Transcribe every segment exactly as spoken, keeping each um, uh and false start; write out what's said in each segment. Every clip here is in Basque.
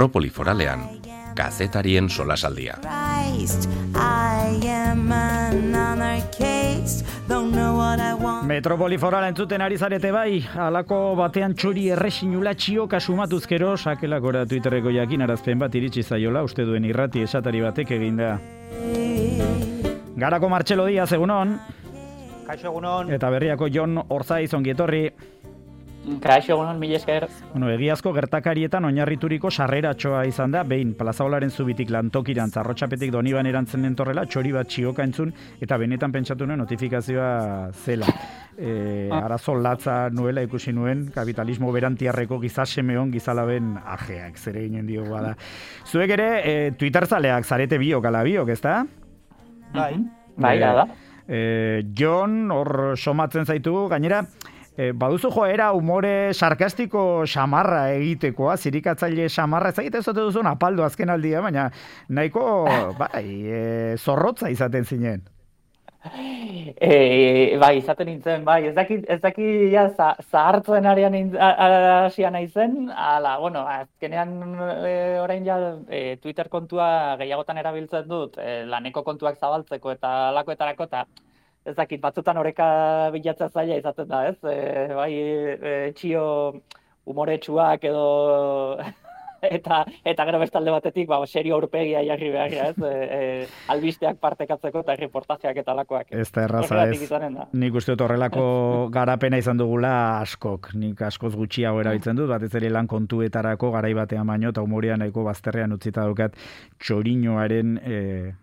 Metropoli Foralean, kazetarien solasaldia. Metropoli Forala entzuten ari zarete bai, halako batean txori erresinula txioka sumatuzkero, sakelakora Twitterreko jakinarazpen bat iritsi zaiola, uste duen irrati esatari batek eginda. Garako Martxelo Diaz, egunon. Kaixo, egunon. Eta berriako Jon Orzaiz, ongi etorri. Kaixo, egunon, mila esker. Bueno, egiazko gertakarietan oinarrituriko sarreratxoa izan da, behin Plazaolaren zubitik lantokiran zarrotxapetik Doniban erantzen dentorrela, txori bat txioka entzun, eta benetan pentsatu nuen notifikazioa zela. E, arazo latza nuela ikusi nuen, kapitalismo berantiarreko gizasemeon gizalaben ajeak, zere ginen diogu bada. Zuek ere, e, Twitter zaleak zarete biok ala biok, ezta? Bai, bai, da da. E, Jon, hor somatzen zaitu, gainera, E, baduzu joera humore sarkastiko xamarra egitekoa, zirikatzaile xamarra, ez egite zote duzun apaldo azken aldia, baina nahiko bai, e, zorrotza izaten zinen. E, bai, izaten nintzen, bai, ez daki, ez daki ja, zahartzen arian hasia naizen, ala, bueno, azkenean e, orain ja e, Twitter kontua gehiagotan erabiltzen dut, e, laneko kontuak zabaltzeko eta alakoetarako, eta ez dakit, batzutan oreka bilatzea zaila izaten da, ez? E, bai, e, txio umoretsuak edo eta eta gero bestalde batetik, ba, serio aurpegia jarri beharra, ez? E, e, albisteak partekatzeko eta reportajeak eta alakoak. Ez da erraza, ez. Nik uste dut horrelako garapena izan dugula askok. Nik askoz gutxiago erabiltzen dut, batez ere lan kontuetarako garai batean baino, eta humorea nahiko bazterrean utzita daukat txoriñoaren e,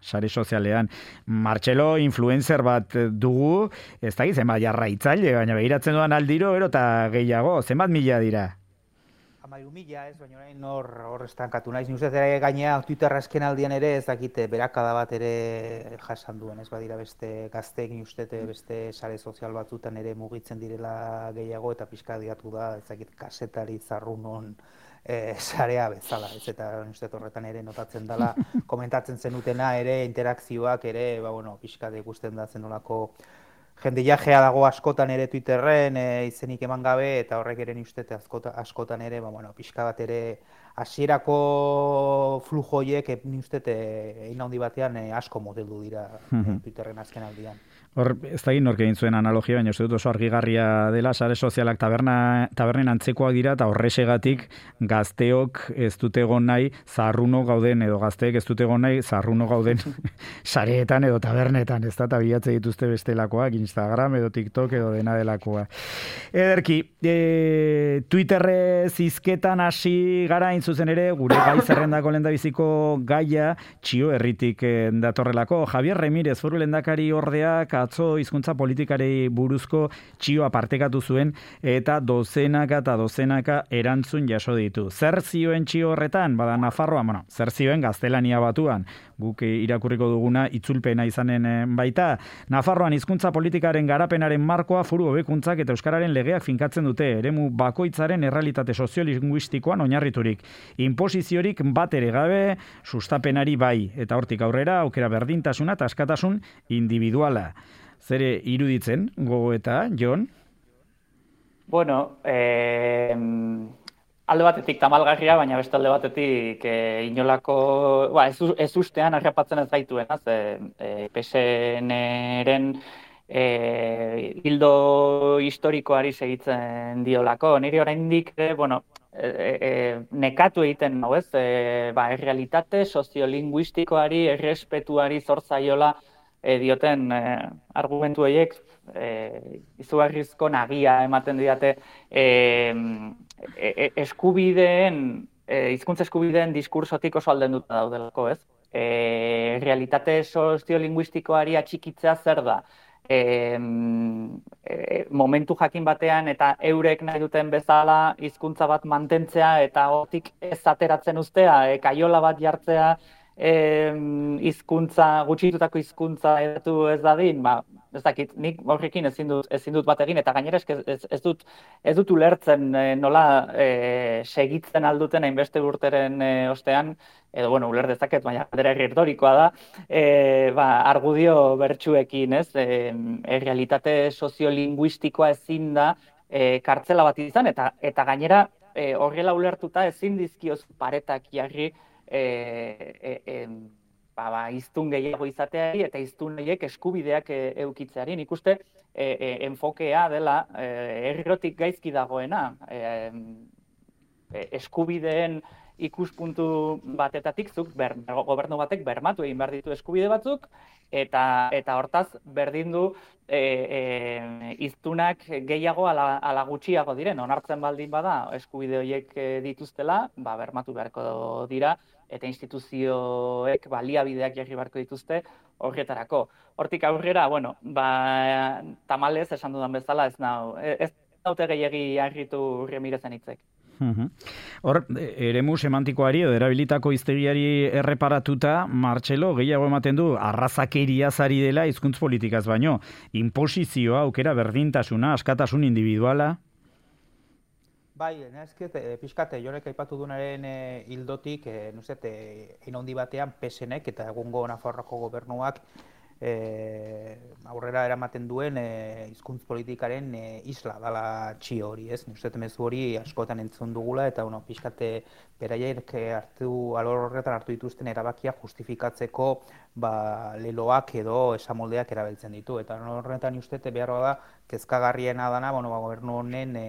sare sozialean. Martxelo influencer bat dugu, ez da zenbat jarraitzaile, baina begiratzen duan aldiro, ero eta gehiago, zenbat mila dira? Amairu mila, ez, baina orain hor, hor estankatu naiz. Ni uste ere gainea Twitter azken aldian ere ez dakite berakada bat ere jasan duen, ez badira beste gazteek, ni uste beste sare sozial batzutan ere mugitzen direla gehiago eta pixka diatu da, ez dakit kasetari zarrunon e, sarea bezala, ez, eta uste horretan ere notatzen dela, komentatzen zenutena ere, interakzioak ere, ba, bueno, pixka de ikusten da zenolako jende jajea dago askotan ere Twitterren, e, izenik eman gabe, eta horrek ere ni uste askota, askotan ere, ba, bueno, pixka bat ere hasierako flujoiek ni uste egin handi batean e, asko modeldu dira e, Twitterren azken aldian. Hor, ez da egin nork egin zuen analogia, baina uste dut oso argigarria dela, sare sozialak taberna, tabernen antzekoak dira, eta horresegatik gazteok ez dute egon nahi zarruno gauden, edo gazteek ez dute egon nahi zarruno gauden sareetan edo tabernetan, ez da, eta bilatze dituzte bestelakoak, Instagram edo TikTok edo dena delakoa. Ederki, e, Twitterrez hizketan hasi gara hain zuzen ere, gure gai zerrendako lehendabiziko gaia, txio herritik datorrelako. Javier Remírez, foru lehendakari ordeak, atzo hizkuntza politikari buruzko txioa partekatu zuen eta dozenaka eta dozenaka erantzun jaso ditu. Zer zioen txio horretan? Bada Nafarroan, bueno, zer zioen gaztelania batuan, guk irakurriko duguna itzulpena izanen baita. Nafarroan hizkuntza politikaren garapenaren markoa foru hobekuntzak eta euskararen legeak finkatzen dute, eremu bakoitzaren errealitate soziolinguistikoan oinarriturik. Inposiziorik bat ere gabe, sustapenari bai, eta hortik aurrera aukera berdintasuna eta askatasun individuala. Zere iruditzen, gogoeta, Jon? Bueno, eh, alde batetik tamalgarria, baina beste alde batetik eh, inolako, ba, ez, ez ustean harrapatzen ez gaituena, ze eh, P S N-ren eh, hildo historikoari segitzen diolako. Niri oraindik, eh, bueno, E, e, nekatu egiten nau, ez? E, ba, errealitate soziolinguistikoari, errespetuari zortzaiola e, dioten e, argumentu horiek e, izugarrizko nagia ematen didate e, e, eskubideen, e, hizkuntza eskubideen diskursotik oso aldenduta daudelako, ez? E, realitate soziolinguistikoari atxikitzea zer da? E, e, momentu jakin batean eta eurek nahi duten bezala hizkuntza bat mantentzea eta hortik ez ateratzen uztea, e, kaiola bat jartzea hizkuntza, gutxitutako hizkuntza edatu ez dadin, ba, ez dakit, nik horrekin ezin dut, ezin dut bat egin, eta gainera ez, ez, ez dut ez dut ulertzen e, nola e, segitzen alduten hainbeste urteren e, ostean, edo, bueno, uler dezaket, baina galdera retorikoa da, e, ba, argudio bertsuekin, ez, e, e, realitate soziolinguistikoa ezin da e, kartzela bat izan, eta, eta gainera e, horrela ulertuta ezin dizkioz paretak jarri e, e, e, ba, ba, iztun gehiago izateari eta iztun horiek eskubideak e, eukitzeari. Nik uste e, e, enfokea dela e, errotik gaizki dagoena. E, e, eskubideen ikuspuntu batetatik zuk ber, gobernu batek bermatu egin behar ditu eskubide batzuk, eta eta hortaz berdin du e, e, iztunak gehiago ala, ala gutxiago diren. Onartzen baldin bada eskubide horiek dituztela, ba, bermatu beharko dira, eta instituzioek baliabideak jarri beharko dituzte horretarako. Hortik aurrera, bueno, ba, tamalez esan dudan bezala ez nau, ez naute gehiagi harritu Remirezen hitzek. Hor, eremu semantikoari edo erabilitako hiztegiari erreparatuta, Martxelo gehiago ematen du arrazakeriaz ari dela hizkuntz politikaz baino, inposizioa, aukera berdintasuna, askatasun individuala. Bai, nezket, e, pixkate, jonek aipatu dunaren e, hildotik, e, nuzet, e, handi batean P S Nek eta egungo Nafarroako gobernuak E, aurrera eramaten duen e, hizkuntz politikaren e, isla dala txio hori, ez? Nuzet mezu hori askotan entzun dugula eta bueno, pixkate beraiek hartu alor horretan hartu dituzten erabakia justifikatzeko ba, leloak edo esamoldeak erabiltzen ditu. Eta horretan ustete behar da kezkagarriena dana, bueno, ba, gobernu honen e,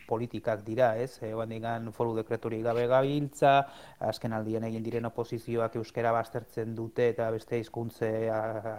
politikak dira, ez? E, Bandigan foru dekreturik gabe gabiltza, azken aldien egin diren oposizioak euskera baztertzen dute eta beste hizkuntze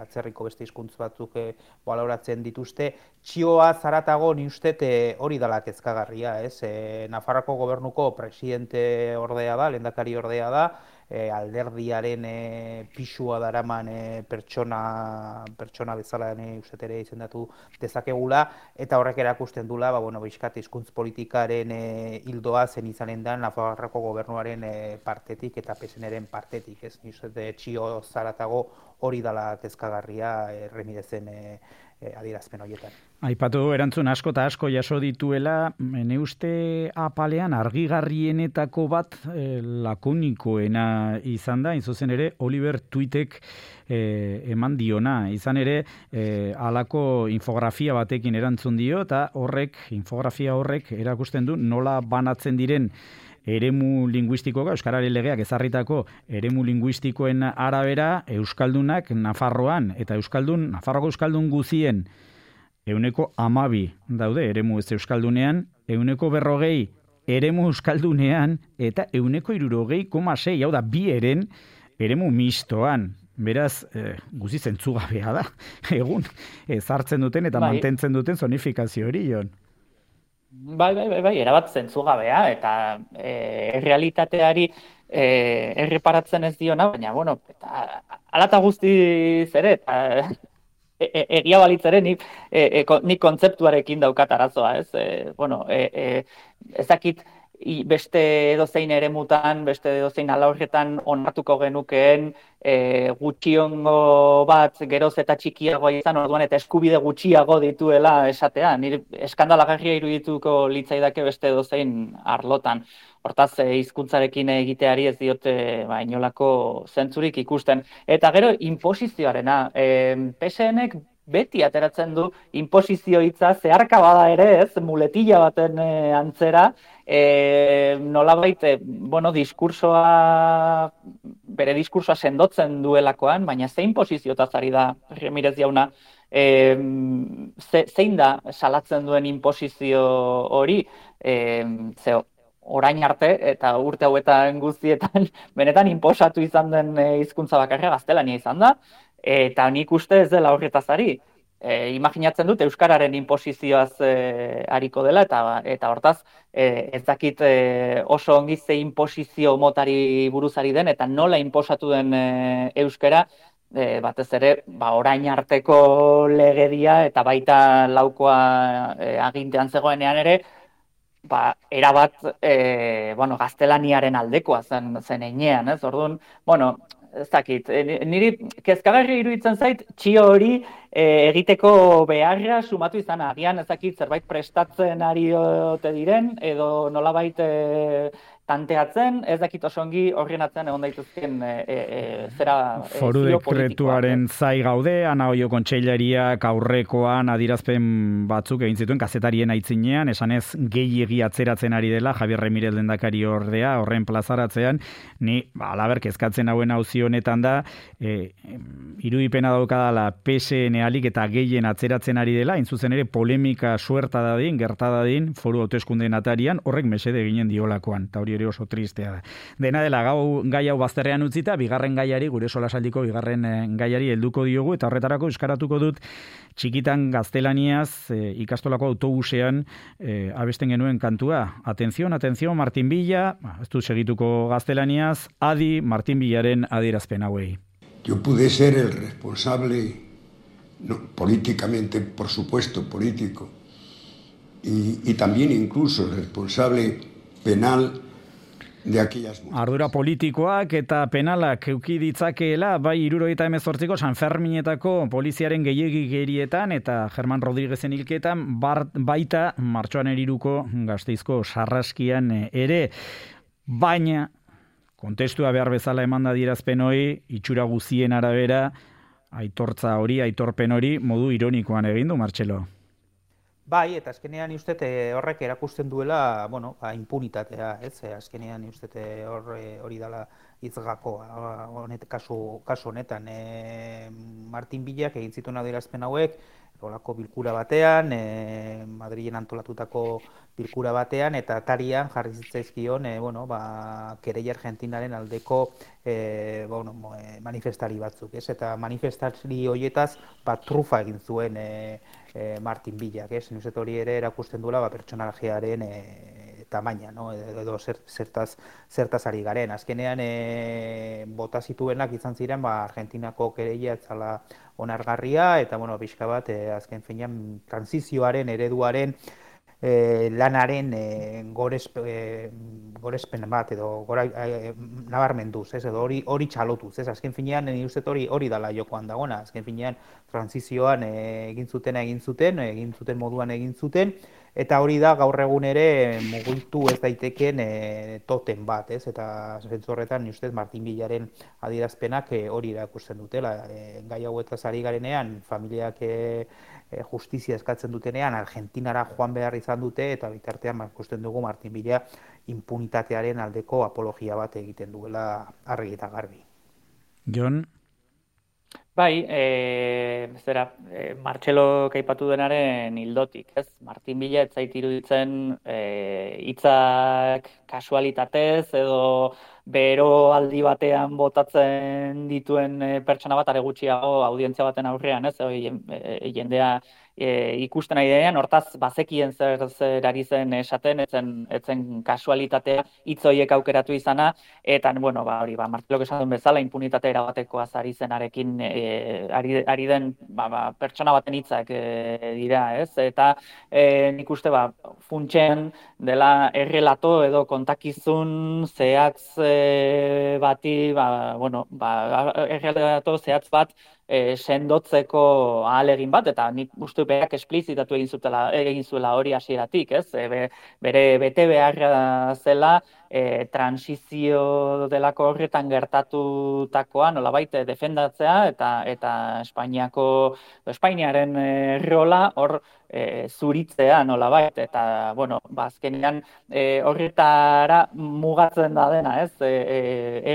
atzerriko beste hizkuntz batzuk e, baloratzen dituzte. Txioa zaratago ni ustez e, hori dela kezkagarria, ez? E, Nafarroako gobernuko presidente ordea da, lehendakari ordea da, e, alderdiaren e, pisua daraman e, pertsona, pertsona bezala ne ustez ere izendatu dezakegula, eta horrek erakusten dula, ba, bueno, bizkat hizkuntz politikaren e, hildoa zen izanen da Nafarroako gobernuaren e, partetik eta P S Nren partetik, ez? Ni ustez txio zaratago hori dela kezkagarria e, Remirezen e, e, adierazpen horietan. Aipatu erantzun asko eta asko jaso dituela, ne uste apalean argigarrienetako bat e, lakonikoena izan da, zuzen ere Oliver Tweetek e, eman diona, izan ere e, halako infografia batekin erantzun dio, eta horrek, infografia horrek erakusten du nola banatzen diren eremu linguistikoa, Euskararen legeak ezarritako eremu linguistikoen arabera, Euskaldunak Nafarroan, eta Euskaldun, Nafarroko Euskaldun guzien euneko amabi daude eremu ez Euskaldunean, euneko berrogei eremu Euskaldunean, eta euneko irurogei koma sei, hau da, bi eren eremu mistoan. Beraz, eh, guzi zentzugabea da, egun, ezartzen duten eta bai, mantentzen duten zonifikazio hori, Jon. Bai, bai, bai, bai, erabat zentzugabea, eta e, realitateari e, erreparatzen ez diona, baina, bueno, eta alata guztiz ere, eta e, e, egia balitz ere nik, e, e, nik kontzeptuarekin daukat arazoa, ez? E, bueno, e, e, ezakit beste edozein eremutan, beste edozein alorretan onartuko genukeen e, gutxiongo bat geroz eta txikiagoa izan orduan eta eskubide gutxiago dituela esatea. Nire eskandalagarria irudituko litzaidake beste edozein arlotan. Hortaz, hizkuntzarekin egiteari ez diote ba, inolako zentzurik ikusten. Eta gero, inposizioarena. E, P S Nek beti ateratzen du inposizio hitza zeharka bada ere, ez, muletilla baten e, antzera, e, nolabait, e, bueno, diskursoa, bere diskursoa sendotzen duelakoan, baina ze inposiziotaz ari da Remirez jauna, e, ze, zein da salatzen duen inposizio hori, e, zeo, orain arte eta urte hauetan guztietan benetan inposatu izan den hizkuntza bakarra gaztelania izan da, eta nik uste ez dela horretaz ari. E, imaginatzen dut Euskararen inposizioaz e, ariko dela, eta eta hortaz e, ez dakit e, oso ongi ze inposizio motari buruzari den, eta nola inposatu den e, Euskara, e, batez ere ba, orain arteko legedia eta baita laukoa e, agintean zegoenean ere, ba, erabat e, bueno, gaztelaniaren aldekoa zen, zen enean, ez? Orduan, bueno, ez dakit, niri kezkagarri iruditzen zait, txio hori e, egiteko beharra sumatu izan agian ez dakit zerbait prestatzen ari ote diren, edo nolabait e, tanteatzen, ez dakit oso ongi horren atzean egon daitezken e, e, zera e, Foru zio dekretuaren politikoak, zai gaude, Ana Oio kontseilariak aurrekoan adirazpen batzuk egin zituen kazetarien aitzinean, esanez gehiegi atzeratzen ari dela Javier Ramirez lehendakari ordea horren plazaratzean, ni ba, alaber kezkatzen hauen auzi honetan da, e, irudipena daukadala P S N alik eta gehien atzeratzen ari dela, hain zuzen ere polemika suerta dadin, gerta dadin, foru hauteskundeen atarian, horrek mesede eginen diolakoan, eta hori ere oso tristea da. Dena dela, gau, gai hau bazterrean utzita, bigarren gaiari, gure solasaldiko bigarren eh, gaiari helduko diogu, eta horretarako euskaratuko dut txikitan gaztelaniaz eh, ikastolako autobusean eh, abesten genuen kantua. Atención, atención, Martin Villa, ez du segituko gaztelaniaz, adi Martin Villaren adierazpen hauei. Yo pude ser el responsable, no, políticamente, por supuesto, político, y, y también incluso el responsable penal de aquellas mujeres. Ardura politikoak eta penalak euki ditzakeela, bai hirurogeita hemezortziko San Ferminetako poliziaren gehiegigerietan eta Germán Rodríguezen hilketan, bar, baita martxoan eriruko Gasteizko sarraskian ere, baina kontestua behar bezala emanda dirazpen hori, itxura guzien arabera, aitortza hori, aitorpen hori, modu ironikoan egin du, Martxelo. Bai, eta azkenean uste horrek erakusten duela, bueno, ba, impunitatea, ez? Azkenean uste hori dela hitzgakoa, honet kasu kasu honetan, e, Martin Villak egin zituen adierazpen hauek, olako bilkura batean, e, Madrilen antolatutako bilkura batean, eta atarian jarri zitzaizkion, e, bueno, ba, kereia Argentinaren aldeko e, bueno, manifestari batzuk, ez? Eta manifestari horietaz, ba, trufa egin zuen e, e, Martin Villak, ez? Nuzet hori ere erakusten duela, ba, pertsonalajearen e, tamaina, no? Edo, edo zertaz, zertaz ari garen. Azkenean, e, bota zituenak izan ziren, ba, Argentinako kereia etzala onargarria, eta, bueno, pixka bat, e, azken finean, transizioaren, ereduaren, E, lanaren e, gorespe, e, gorespen bat edo gora, e, nabarmenduz, ez, edo hori hori txalotuz, ez, azken finean ni uste hori hori dala jokoan dagona, azken finean transizioan e, egin zuten egin zuten, egin zuten moduan egin zuten, eta hori da gaur egun ere mugitu ez daiteken e, toten bat, ez, eta zentzu horretan ni ustez Martin Villaren adierazpenak e, hori erakusten dutela, e, gai hauetaz ari garenean familiak e, E, justizia eskatzen dutenean, Argentinara joan behar izan dute, eta bitartean ikusten dugu Martin Villa impunitatearen aldeko apologia bat egiten duela argi eta garbi. Jon? Bai, e, zera, e, Martxelo kaipatu denaren hildotik, ez? Martin Villa ez zait iruditzen e, hitzak kasualitatez edo bero aldi batean botatzen dituen e, pertsona bat are gutxiago audientzia baten aurrean, ez? E, e, jendea e, ikusten ari denean, hortaz bazekien zer zer ari zen esaten, etzen etzen kasualitatea hitz horiek aukeratu izana, eta bueno, ba hori, ba Martxelok esan duen bezala inpunitate erabatekoaz ari zenarekin e, ari, ari den ba, ba, pertsona baten hitzak e, dira, ez? Eta e, nik uste ba funtsen dela errelato edo kontakizun zehatz e, bati, ba bueno, ba errelato zehatz bat E, sendotzeko ahalegin bat, eta nik uste berak esplizitatu egin zutela, egin zuela hori hasieratik, ez? E, be, bere bete beharra zela e, transizio delako horretan gertatutakoa nolabait defendatzea eta eta Espainiako Espainiaren e, rola hor e, zuritzea nolabait, eta bueno, ba azkenean e, horretara mugatzen da dena, ez? E, e,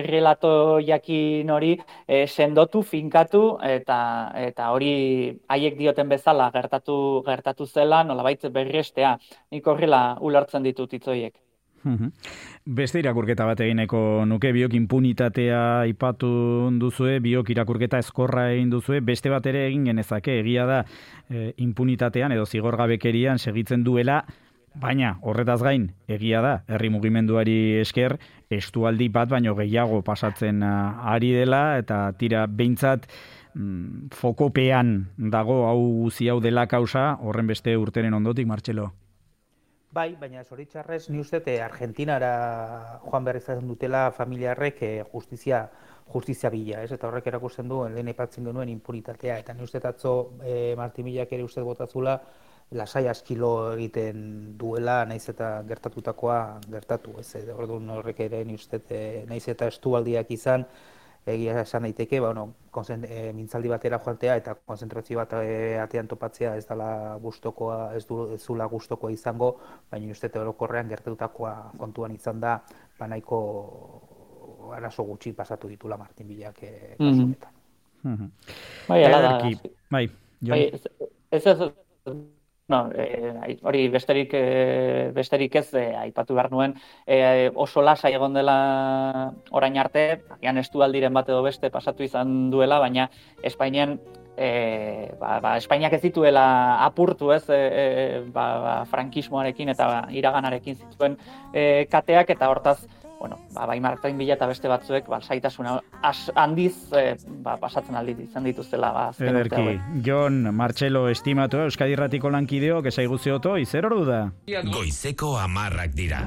errelato jakin hori e, sendotu, finkatu, eta eta hori haiek dioten bezala gertatu gertatu zela nolabait berriestea. Nik horrela ulertzen ditut hitz horiek. Beste irakurketa bat egineko nuke, biok impunitatea aipatu duzue, biok irakurketa ezkorra egin duzue, beste bat ere egin genezake, egia da e, impunitatean edo zigorgabekerian segitzen duela, baina horretaz gain egia da, herri mugimenduari esker, estualdi bat baino gehiago pasatzen ari dela, eta tira behintzat mm, fokopean dago hau guzi hau dela kausa, horren beste urteren ondotik, Martxelo. Bai, baina zoritxarrez ni uste Argentinara joan behar izaten dutela familiarrek justizia justizia bila, ez? Eta horrek erakusten du lehen aipatzen genuen impunitatea, eta ni uste atzo e, Martin Villak ere uste botatzula lasai askilo egiten duela, naiz eta gertatutakoa gertatu, ez, orduan horrek ere ni uste, naiz eta estualdiak izan, egia esan daiteke, ba, bueno, e, mintzaldi batera joatea eta konzentrazio bat e, atean topatzea ez dela gustokoa, ez du ez zula gustokoa izango, baina uste orokorrean gertatutakoa kontuan izan da, ba nahiko arazo gutxi pasatu ditula Martin Villak e, kasu honetan. Mm-hmm. Bai, ala da. Bai, bai, ez ez no, eh, hori besterik eh, besterik ez eh, aipatu behar nuen, eh, oso lasai egon dela orain arte, agian estualdiren bat edo beste pasatu izan duela, baina Espainian eh, ba, ba, Espainiak ez dituela apurtu, ez, eh, ba, ba, frankismoarekin eta iraganarekin zituen eh, kateak, eta hortaz bueno, ba, bai Martin Villa eta beste batzuek ba, saitasuna handiz eh, ba, pasatzen aldi izan dituztela. Ba, Ederki, Jon Martxelo estimatu, Euskadi Irratiko lankideok, esaiguzi oto, izer ordu da? Goizeko hamarrak dira.